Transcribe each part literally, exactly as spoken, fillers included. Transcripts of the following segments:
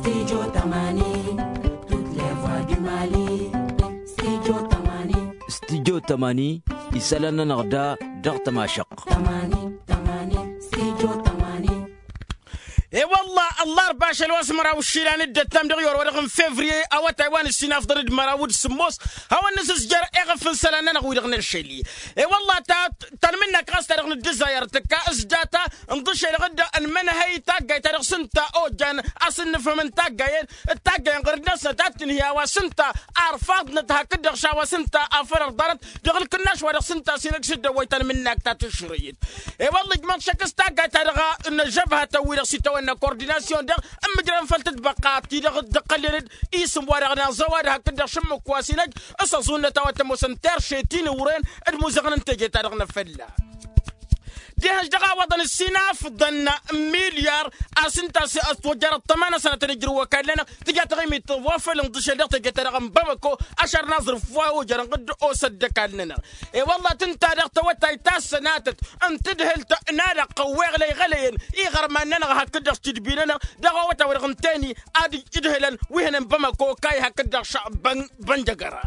Studio tămani. Tut levwa du mali. Studio tămani. Studio tămani. Isălan-nănăɣ da dăɣ-tămašăɣt. Tămani. Tămani. Studio tămani. E-wălla ăllarba ašăl wa s-măraw išilan d-ăttam dăɣ-iwăr wa dăɣ-n fevriye awătay wa n-ǝssin afḍăn d-măraw d-sǝmmos. Hawăn-nǝsǝzjăr eɣăf n-isălan-nănăɣ wi-dăɣ n-ălšăli. E-wălla ta tanmǝnnak ɣas ta dăɣ-nǝddǝzzayăr tǝkka s-data n-dd-ašăl dăɣ-dd-ănmănhăy taggayt ta dăɣ-s ǝnta ojan a-s ǝnnǝfhǝm n-taggayen d-taggayen ɣur-dd-năsnăt ad-tǝnhǝy a-wa s-ǝnta arfaḍnăt hakd-dăɣ š-a-wa s-ǝnta afăl ărḍanăt dăɣ-ǝlkǝnnaš wa dăɣ-s ǝnta a-s inăgg s-dd-ăwwăy tanmǝnnak ta tǝšrǝyǝd. E-wălla ijmăḍ šăkk s-taggayt ta dăɣ-năžžăbhătăn-wi-dăɣ s-itawănna kordinasyon-dăɣ ǝmmǝjrăn făll-tǝtbăqqa ti-dăɣ dd-ăqqălnen-dd isǝm wa dăɣ-naẓăwad hakd-dăɣ šǝmmǝk wa s-inăj s-ăẓunnăt a-wa t-ămoosăn terše tinǝwren d-imuzăɣăn n-teje-ta-dăɣ n-afălla. Dihăš dăɣ-a wăḍăn ǝssin afḍăn n-milyar a-s ǝnta a-s ătwăjjărăt tămanăt sănătăn ijrǝw ăkall-nănăɣ. Tǝja taɣimit wa făll-inḍǝšel dăɣ-teje-ta-dăɣ n-bamăko ašăr n-aẓrǝf wa ojărăn ɣǝdd osăt d-ăkall-nănăɣ. E-wălla tǝnta daɣ tawătayt ta s-sănatăt n-tǝdhǝlt n-alăqqăn weɣlăy ɣălăyăn iɣărman-nănăɣ hakd-dăɣ tidbi-nănăɣ dăɣ-awătay wa dăɣ-n teni ad-ǝdhǝlăn wi hănen bamăko kayy hakd-dăɣ šăɣ băn-bănjăgăra.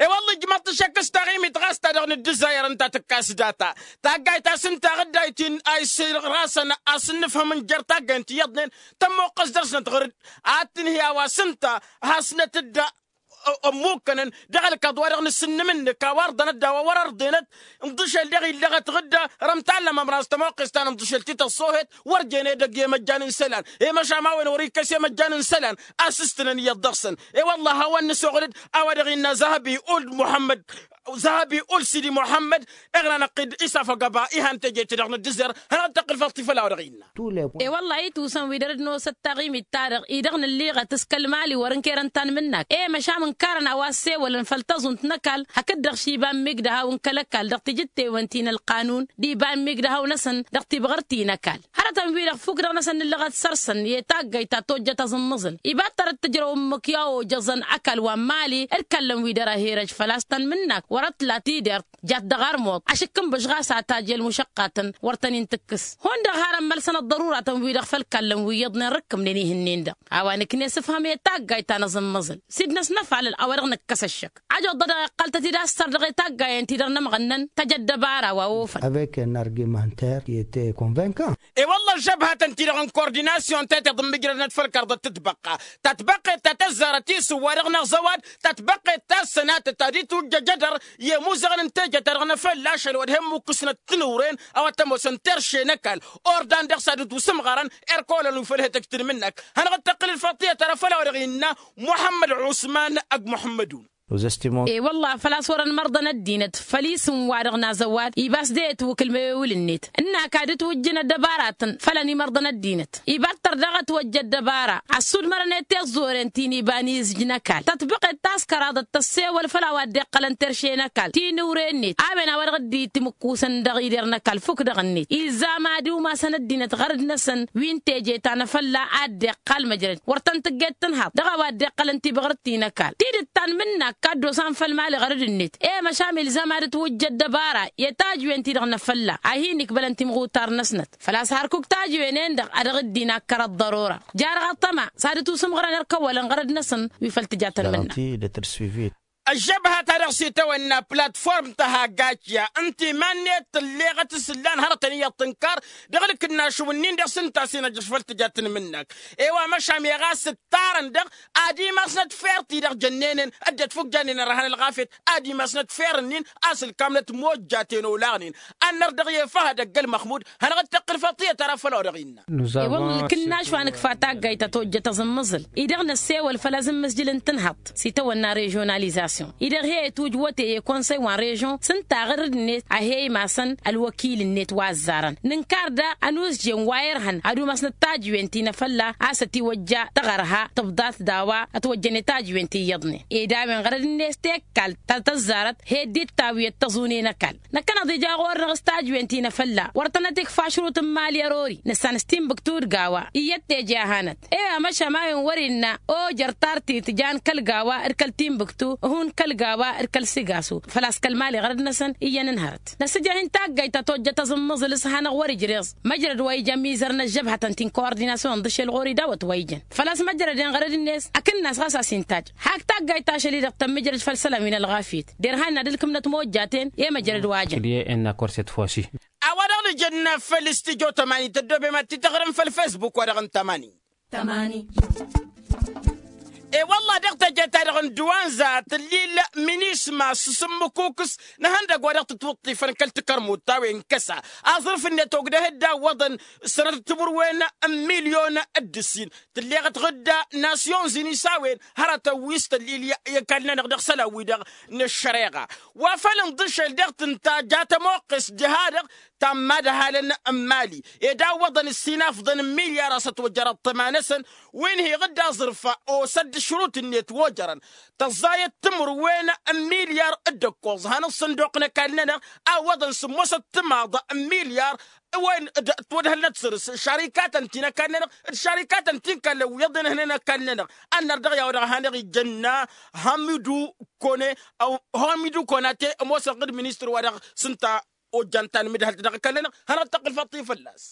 E-wălla ijmăḍ-t šăkk s-taɣimit ɣas ta dăɣ-nǝddǝzzayăr ǝnta tǝkka s-data taggayt ta s-ǝnta ɣǝddayt-in a isǝrrasăn a-s ǝnnǝfhǝm n-jer-taggayen ti iyyăḍnen tămmoqqăs dăr-snăt ɣur-dd ad-tǝnhǝy a-wa s-ǝnta hasnăt-dd ămmukkănăn dăɣ-ălkaḍ wa dăɣ-nǝsǝnnǝm ǝnnǝk a-wa ărḍănăt d-a-wa wăr-ărḍenăt. Ǝnḍǝšel dăɣ-illăɣăt ɣǝdda răm tallăm ămras tămoqqes ta n-ǝnḍǝšel ti tăṣṣohet wăr jen edăgg i-măjjan n-isălan i-măšan ma-wen wăr-ikkăs i-măjjan n-isălan a-s ǝstǝnăn iyyăḍ dăɣ-săn. E-wălla a hawăn-nǝsoɣăl-dd a-wa dăɣ-innă zăhăbi ul muḥămmăd zăhăbi ul sidi muḥămmăd. Iɣnan ăqqid isafăgăba ihan teje-ti-dăɣ n-ăddǝzzăr hanăɣ-dd-tăqqǝl făll-ti făll-a-wa dăɣ-innă. E-wălla-hi tusăn wi dăr-dd-nosăt taɣimit-ta-dăɣ-i-dăɣ nǝlliɣăt s-kăl-mali wăr-ǝnkerăn tanmǝnnak e-măšan ǝnkarăn a-wa ăssewălăn făll-tăẓunt n-ăkall hakd-dăɣ š-iba n-imigdăhaw n-kăl-ăkall dăɣ-tijǝttewen ti n-ălqanun d-iba n-imigdăhaw-năsăn dăɣ-tibɣărt-i n-ăkall. Hărătăn-wi-dăɣ fuk dăɣ-năsăn nǝllăɣăt săr-săn i-taggayt ta tojjăt aẓǝmmăẓǝl iba-t tărăt tǝjrăw ǝmmǝk i-a ojăẓăn ăkall wa n-mali d-kallăn-wi dăr-ehirăj făl-a-s tanmǝnnak wăr-ătla tidert jat dăɣ-armuḍ ašǝkkǝnbǝš ɣas a tajel mušăqqatăn wăr tăn-in-tǝkkǝs. Hundăɣ har ămmălsăn ăḍḍăruratăn-wi-dăɣ făll-kallăn wi iyyăḍnen rǝkkǝmnen ihǝnnen-dăɣ a-wa nǝkna i-sǝfhăm i-taggayt ta n-aẓǝmmăẓǝl s-dd-năsnăfalăl a-wa-dăɣ nǝkkăs ăššăk. Ajăḍ-dd a-dăɣ iqqăl-tăt-dd a-s săr dăɣ-i taggayen-ti-dăɣ n-ămɣănnăn tăj ăddăbara wa ofăn. Avec un argumentaire qui était convaincant. E-wălla ăžžăbhătăn-ti-dăɣ n-kordinasyon teteḍ ǝmmǝjrădnăt făll-kărdăt tǝtbăqqa tătbăqqet ta tăzzarăt isǝm wa dăɣ-năẓăwad tătbăqqet ta s-sănatăt ad-itwǝjjăj edăr i-imuzăɣăn n-teje-ta-dăɣ n-efălla ašăl wa d-he-ǝmmukkǝsnăt tinǝwren a-wa t-ămoosăn terše n-ăkall ordan dăɣ-s ad-ǝtwǝsǝmɣărăn erk olăn wi făl he-tăjj tanmǝnnak. Hanăɣ-dd-tăqqǝl ǝlfaḍt tiyyăt ara făll-a-wa dăɣ-innă muḥămmăd ɣusman. Ăgg muḥămmădun. E-wălla făl-a-s wărăn imărḍăn ăddinăt făll-isǝm wa dăɣ-nazăwad iba s-de-etwǝkǝl mewewǝl-net ǝnn'-ak ad-ǝtwǝjjǝn ăddăbaratăn făll-ănimărḍăn ăddinăt. Iba ǝttăr daɣ ătwăjja ăddăbara ăssudmărănet tiẓẓoren ti n-iba n-izǝj n-ăkall tătbăqet ta s-kăraḍăt tăssewăl făll-a-wa dd-iqqălăn terše n-ăkall tinǝwre-net a-wen a-wa dăɣ-dd-timǝkkusăn dăɣ-ider n-ăkall fuk dăɣ-net. Izzam ad-iwmasăn ăddinăt ɣărăd-năsăn wi n-teje ta n-afălla a dd-iqqal măjrăd wăr tăn-tǝgget tǝnhaḍ dăɣ-a-wa dd-iqqălăn tibăɣrǝt ti n-ăkall tidǝt ta n-imǝnnak a dd-osan făll-mali ɣărăd-net. I-măšan ilzam ad-ǝtwǝjja ăddăbara i-tajǝwen-ti-dăɣ n-afălla a hin-ikbălăn timɣutar-năsnăt făl-a-s hărkuk tajǝwen-en-dăɣ a dăɣ-dd-inakkăr ăḍḍărora. Jer-aɣăṭṭăma s-ad-ǝtusǝmɣărăn erk ăwwălăn ɣărăd-năsăn wi făl tǝja tăn-mǝnna. Ăžžăbha-ta-dăɣ s-itawănna platform tăhaggačya ǝnta iman-net tǝlleɣăt s-ǝllan hărătăn iyyăḍ tǝnkar dăɣ-ǝlkǝnnašǝw-ǝnnin-dăɣ s-ǝnta a-s inăjjăš făll-tǝja tǝnmǝnnak. E-wa măšan meɣ a-s ǝttarăn-dăɣ ad-imasnăt fer-ti-dăɣ jănnen-en ăddinăt fuk jannen ărhan ălɣafyăt ad-imasnăt fer-ǝnnin a-s ǝlkamnăt mojjaten olaɣnen. Ad-năr dăɣ-i efăhăd ăgg-ălmăxmud hanăɣ-dd-tăqqǝl făll-tiyyăt ara făll-a-wa dăɣ-innă. E-wălla ǝlkǝnnaš wa nǝkfa taggayt ta tojjăt aẓǝmmăẓǝl-i-dăɣ năssewăl făll-azǝmmǝzjǝl n-tǝnhăḍt s-itawănna režionalizasyon-i-dăɣ he-ătuj wăte i-konsăy wa n-režyon s-ǝnta ɣărăd-net a he-imasăn ălwăkil-net wa ăzzarăn nǝnkar daɣ ănuzjen wa irhăn ad-umasnăt tajǝwen ti n-afălla a-s ătiwăjja taɣărha tǝbḍat d-a-wa ătwăjjăn i-tajǝwen ti iyyăḍnen ed a-wen ɣărăd-net tekkalt ta tăzzarăt he-dd-ittawǝyăt tăẓune n-ăkall. Năkkăneḍ ija ɣur-dăɣ s-tajǝwen ti n-afălla wăr tănăt-ikfa ašrut n-imali ăroori nǝssan s-tinbǝktu d-gawa iyyăt teje a hanăt. E-wa măšan ma-wen wăr-innă ojăr tartit jan kăl-gawa d-kăl-tinbǝktu. kăl-gawa d-kăl-sigasu făl-a-s kăl-mali ɣărăd-năsăn iyyăn n-hărăt. Năsǝjrăh-in taggayt ta tojjăt aẓǝmmăẓǝl s-hanăɣ-wăr-ijreẓ măjrăd wa ija ămizăr n-ăžžăbhătăn ti n-kowărdinasyăn d-ašel ɣur-i dawăt wa ijăn făl-a-s măjrăd-en ɣărăd-net. Akǝnnas ɣas a-s intaj hak taggayt ašăl-i-dăɣ tămmǝjrăd făll-isălan wi n-ălɣafyăt derhan n-ad-ǝlkǝmnăt mojjaten i-măjrăd wa jăn. Ǝlye-en n-akor s-ătfosi. A-wa-dăɣ nǝjănna făll-stujo tămani tăddobem ad-t-tăɣrǝm făll-fesbuk-wa-dăɣ n-tămani. Tămani. E-wălla dăɣ-teje-ta-dăɣ n-dăwanza tǝllil minisma s-sǝmmǝkukǝs n-ehăndăgg wa dăɣ-tǝtwǝṭṭifăn kăl-takărmut ta wen kăsa aẓrǝf-net ogdăh dd-awwăḍăn sănăt timǝrwen n-milyon d-ǝssin tǝlleɣăt ɣǝdda nasyonzini s-a-wen hărătăn wi s-tăllil i-ăkall-nănăɣ dăɣ-isălan-wi-dăɣ n-ăššăreɣa. Wa făl ǝnḍǝšel dăɣ-tǝnta ja tămoqqes diha-dăɣ ta n-imadhalăn n-mali ed a ǝwwăḍăn ǝssin afḍăn n-milyar a-s ătwăjjăr ăṭṭăma-năsăn wi n-hi-iɣǝdda aẓrǝf osădd ǝšrut-net wojărăn tăẓẓayăt timǝrwen n-milyar d-ǝkkoẓ han ǝṣṣǝnduq n-ăkall-nănăɣ a ǝwwăḍăn sǝmmosăt timaḍ n-milyar wen d-ătwădhălnăt săr-s šarikatăn ti n-ăkall-nănăɣ d-šarikatăn ti n-kallăn wi iyyăḍ enhănen ăkall-nănăɣ. Ănnăr dăɣ-i a-wa dăɣ-hanăɣ-ijănna hamidu kone ăw hamidu konate ămoosăn ɣǝd ministăr-wa-dăɣ s-ǝnta ojjan ta n-imǝdhălt dăɣ-ăkall-nănăɣ. Hanăɣ-tăqqǝl faṭṭi fălla-s.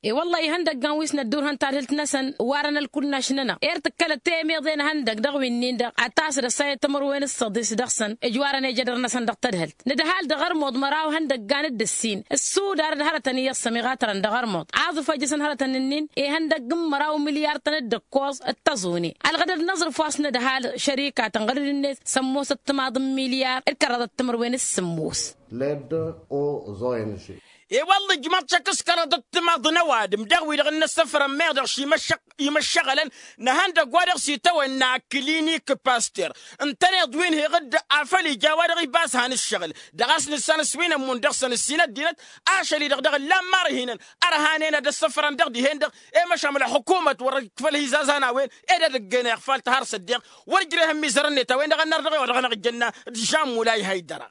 E-wălla-hi ihăndăggan wi s-năddurhăn tadhǝlt-năsăn warăn ălkull n-ašnănăɣ er tǝkkălăt temeḍe n-ehăndăgg dăɣ-wi-nin-dăɣ ad-tasăd ăssayăt timǝrwen s-săḍis dăɣ-săn ǝjwarăn ejădăr-năsăn dăɣ-tadhǝlt. Nǝdhal dăɣ-ărmuḍ măraw ihăndăggan d-ǝssin ǝssudar d-hărătăn iyyăḍ s-ămiɣatărăn dăɣ-ărmuḍ aẓǝf a ijăsăn hărătăn-nin-in ihăndăgg n-măraw milyar-tăn d-ǝkkoẓ d-tăẓune. Ălɣădăd n-aẓrǝf wa s-nǝdhal šărikatăn ɣărăd-net sămmosăt timaḍ n-milyar d-kăraḍăt timǝrwen s-sǝmmos. Led o ẓoyăn ăššăy. E-wălla ǝjmăḍ šăkk s-kăraḍăt timaḍ n-ăwadǝm dăɣ-wi-dăɣ n-inǝssăfrăn meɣ dăɣ-šimăššăɣ imăššăɣălăn n-ehăndăgg wa dăɣ-s itawănna kǝlinik paster ǝntăneḍ wi n-hi-iɣǝdda afăl ija a-wa dăɣ-ibas han ǝššăɣǝl dăɣ-a-s nǝssan s-wi n-ămmun dăɣ-săn ǝssin ăddinăt. Ašăl-i-dăɣ dăɣ-ǝllan marhinăn ărhanen ad-ăssăfrăn dăɣ-dihen-dăɣ i-măšan ălxukumăt wăr-dd făl hizazan a-wen ed ad-ǝggen iɣfal tihăr s-ăddiɣ wăr-ǝjreh ămmizărăn-net a-wen-dăɣ ănnăr dăɣ-e-wa dăɣ-năɣ ǝjjănna d-žammulay haydăra.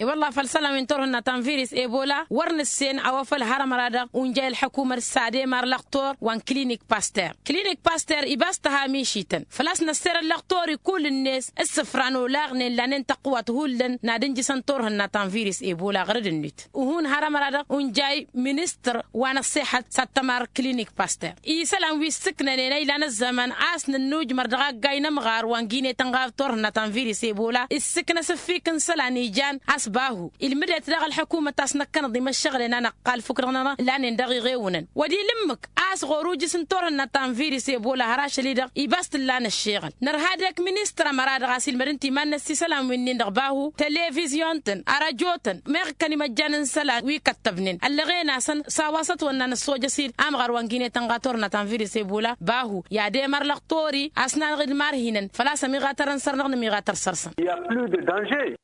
E-wălla făll-isălan wi n-turhǝnna ta n-virus ebola wăr nǝssen a-wa făl har ămăra-dăɣ unjay ălḥăkumăt s-ad-emar lăxtor wa n-klinik paster. Klinik paster ibas tăha mišităn făl-a-s năsser ăllăxtor-i kull-net s-sǝfran olaɣnen lanen tăqwat hullan n-ad-ǝnjǝsăn turhǝnna ta n-virus ebola ɣărăd-net. Uhun har ămăra-dăɣ unjay ministăr wa n-ăṣṣeḥăt s-ad-tămar klinik paster isălan wi ǝssǝknănen a ilan ăzzăman a-s nǝnnujmăr dăɣ-aggay n-ămɣar wa n-gine tănɣaḍ turhǝnna ta n-virus ebola issǝknăs ǝffik n-isălan ijan a-s bahu ilmǝd-et daɣ ălḥăkumăt a-s năkkănăḍ imăššăɣǝlen a năqqal fukk-dăɣ-nănăɣ lanen dăɣ-iɣewǝnăn. Wăr-ila ǝmmǝk a-s ɣur-ujǝs n-turhǝnna ta n-virus ebola har ašăl-i-dăɣ ibas t-ǝllan ăššeɣǝl nărha dek ministăr ămăra-dăɣ a-s ilmădăn timan-năs isălan wi-nin-dăɣ bahu televizyon-tăn arăjo-tăn meɣ ǝkkăn imăjjan n-isălan wi kăttăbnen ăllăɣen-asăn s-a-wa s-ătwănna nǝssojăs-dd amɣar wa n-gine tănɣa turhǝnna ta n-virus ebola bahu i-ad-emăr lăxtor-i a-s nanăɣ-dd marhinăn făl-a-s ămiɣatărăn săr-năɣ nămiɣatăr săr-săn.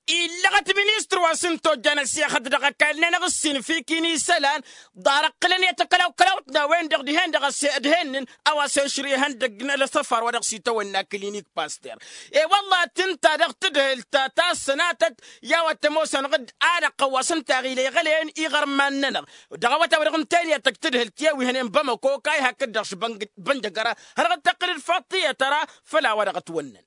Illăɣăt ministăr wa s-ǝnta ojjan ăssexăt dăɣ-ăkall-nănăɣ ǝssin fik-in isălan ḍarăɣ-t ǝlăn i-takălaw-kălawt n-a-wen-dăɣ dihen-dăɣ ăse ădhennen a-wa s-ešri ihăndăgg n-ălăsăfar wa dăɣ-s itawănna klinik paster. E-wălla tǝnta dăɣ-tadhǝlt ta s-sănatăt i-a-wa t-ămoosăn ɣǝd alăqqăn wa s-ǝnta aɣila iɣălăyăn iɣărman-nănăɣ dăɣ-awătay wa dăɣ-ǝntăyăn i-ad-tăj tadhǝlt i-wi hănen bamăko kayha hakd-dăɣ šbănjăgăra. Hănăɣ-dd-tăqqǝl d-faḍt tiyyăt ăra făll-a-wa dăɣ-ătwănnăn.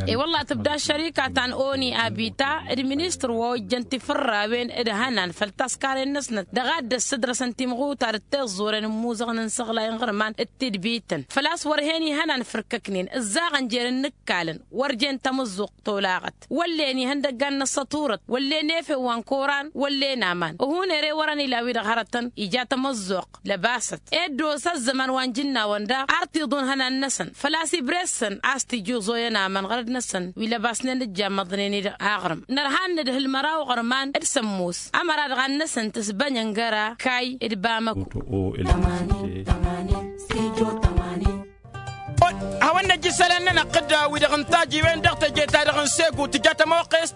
E-wălla tǝbda šărika ta n-oni abita d-ministăr wa ojjăn tifărrawen d-ihănan făll-taskaren-năsnăt dăɣ-ad-dd-ăssǝdrăsăn timɣutar d-tiẓẓuren n-imuzăɣăn n-isăɣlay n-iɣărman d-tidbităn făl-a-s wăr hen ihănan fǝrkăknen ǝzzaɣăn jer-inǝkkalăn wăr jen tamǝzzuɣt tolaɣăt wăllen ihăndăggan n-ăssăturăt wăllen efew wa n-koran wăllen aman. Ăhun ere wărăn ila-wi-dăɣ hărătăn ija tamăzzuɣt lăbasăt ed d-osa ăzzăman wa n-jǝnnawăn daɣ ar t-iḍun ihănan-năsăn făl-a-s ibres-săn a-s t-ija uẓoyăn aman ɣărăd-năsăn wi lăbasnen d-jammăḍnen-i-dăɣ aɣrǝm. Nărha n-nǝdhǝl măraw iɣărman d-sămmos ămăra-dăɣ ad-năsăn tǝsbănyăn găra kay d-bamăko. Hawăn-năj isălan-nănăɣ ɣǝdda wi-dăɣ n-tajiwen dăɣ-teje-ta-dăɣ n-segu tǝja tămoqqest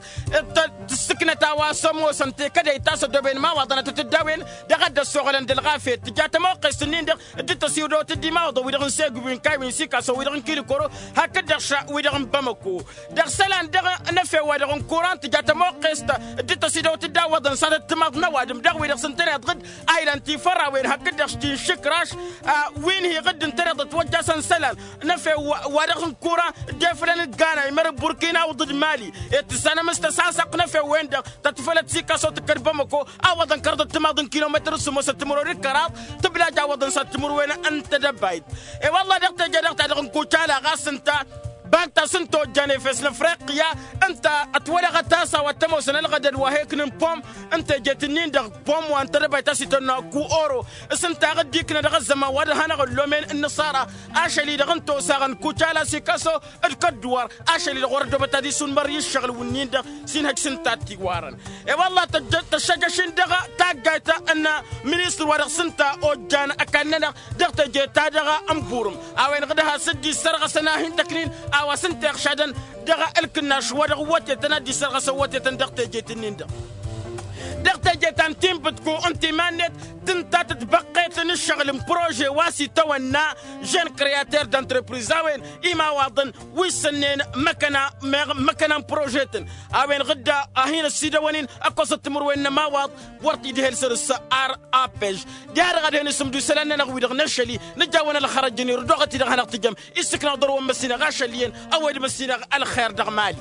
tǝssǝknăt a-wa s-ămoosăn tekădăyt ta s-ăddoben imawaḍăn ad-tăt-dd-a-wen dăɣ-ad-dd-ăssoɣălăn d-ălɣafyăt tǝja tămoqqest-ǝnnin-dăɣ dd-tăsiwdăwăt d-imawaḍăn wi-dăɣ n-segu wi n-kaywi n-sikasăn wi-dăɣ n-kilikoro hakd-dăɣ ša wi-dăɣ n-bamăko. Dăɣ-isălan dăɣ-năfew wa dăɣ-n kuran tǝja tămoqqest dd-tăsidăwăt-dd a ǝwwăḍăn s-ad-ăttămaḍ n-ăwadǝm dăɣ-wi-dăɣ s-ǝntăneḍ ɣǝd a ilan tifărrawen hakd-dăɣ s-ti n-išǝkraš wi n-hi-ɣǝd ǝntăneḍ ătwăjjasăn isălan. Năfew wa-dăɣ n-kura dd-efălăn d-gana imăr d-burkina awǝḍ d-mali. Ed tǝssanăm s-tăsasăɣt n-efew-wen-dăɣ tăt-fălăt sikaso tǝkkăd bămăko a ăwwăḍăn kărăḍ d-timaḍ n-kilometăr s-sǝmmosăt timǝrwen d-kăraḍ. Tǝblaj a ăwwăḍăn s-ad-timǝrwen n-tedăbayt. E-wălla dăɣ-teje-dăɣ ta dăɣ-nkucala ɣas ǝnta bag ta s-ǝnta ojjan efes n-afriqya ǝnta ătwălăɣăt a-s a-wa t-ămoosăn ălɣădăd wa he-ǝknǝn pom n-tejet-nin-dăɣ pom wa n-tedăbayt a-s itănnu akku oro. S-ǝnta a ɣǝdda iknă dăɣ-ăzzăman wa dăɣ-hanăɣ-ăllomen n-inǝṣara ašăl-i-dăɣ ǝnta-osăɣăn kucala sikaso d-kădduwăr ašăl-i-dăɣ wăr-ăddoobăt ad-isunmăr i-ǝššăɣǝl-wǝnnin-dăɣ s-inhăj s-ǝnta a t-iwarăn. E-wălla tăššăjăš-in dăɣ-taggayt n-ministăr wa dăɣ-s ǝnta ojjan ăkall-nănăɣ dăɣ-teje-ta-dăɣ n-burǝm a-wen ɣǝd has-dd-issărɣăsăn a hin-tăknin a-wa s-ǝnta iɣšadăn dăɣ-ǝlkǝnnaš wa dăɣ-wătetăn ad-dd-issărɣăsăn wătetăn dăɣ-tejet-nin-dăɣ. Dăɣ-teje ta n-tinbǝtku n-timan-net tǝnta tǝtbăqqet n-ǝššăɣǝl n-prože wa s-itawănna jeune creater d-entreprise a-wen imawaḍăn wi ǝssănnen măkkăna meɣ măkkăna n-prože-tăn a-wen ɣǝdda a hin-ăsidăwăn-in ăkkoẓăt timǝrwen n-ămawaḍ wăr t-idhel săr-s. Ar apej diha-dăɣ ad-hin-isǝmdu isălan-nănăɣ-wi-dăɣ n-ašăl-i nǝjawăn ălxărăj-ǝnni ărdooɣăt-i dăɣ-hanăɣ-tǝjăm. Issǝknăɣ ḍarwăn măssinăɣ ašăl iyyăn ăwwed măssinăɣ ălxer dăɣ-mali.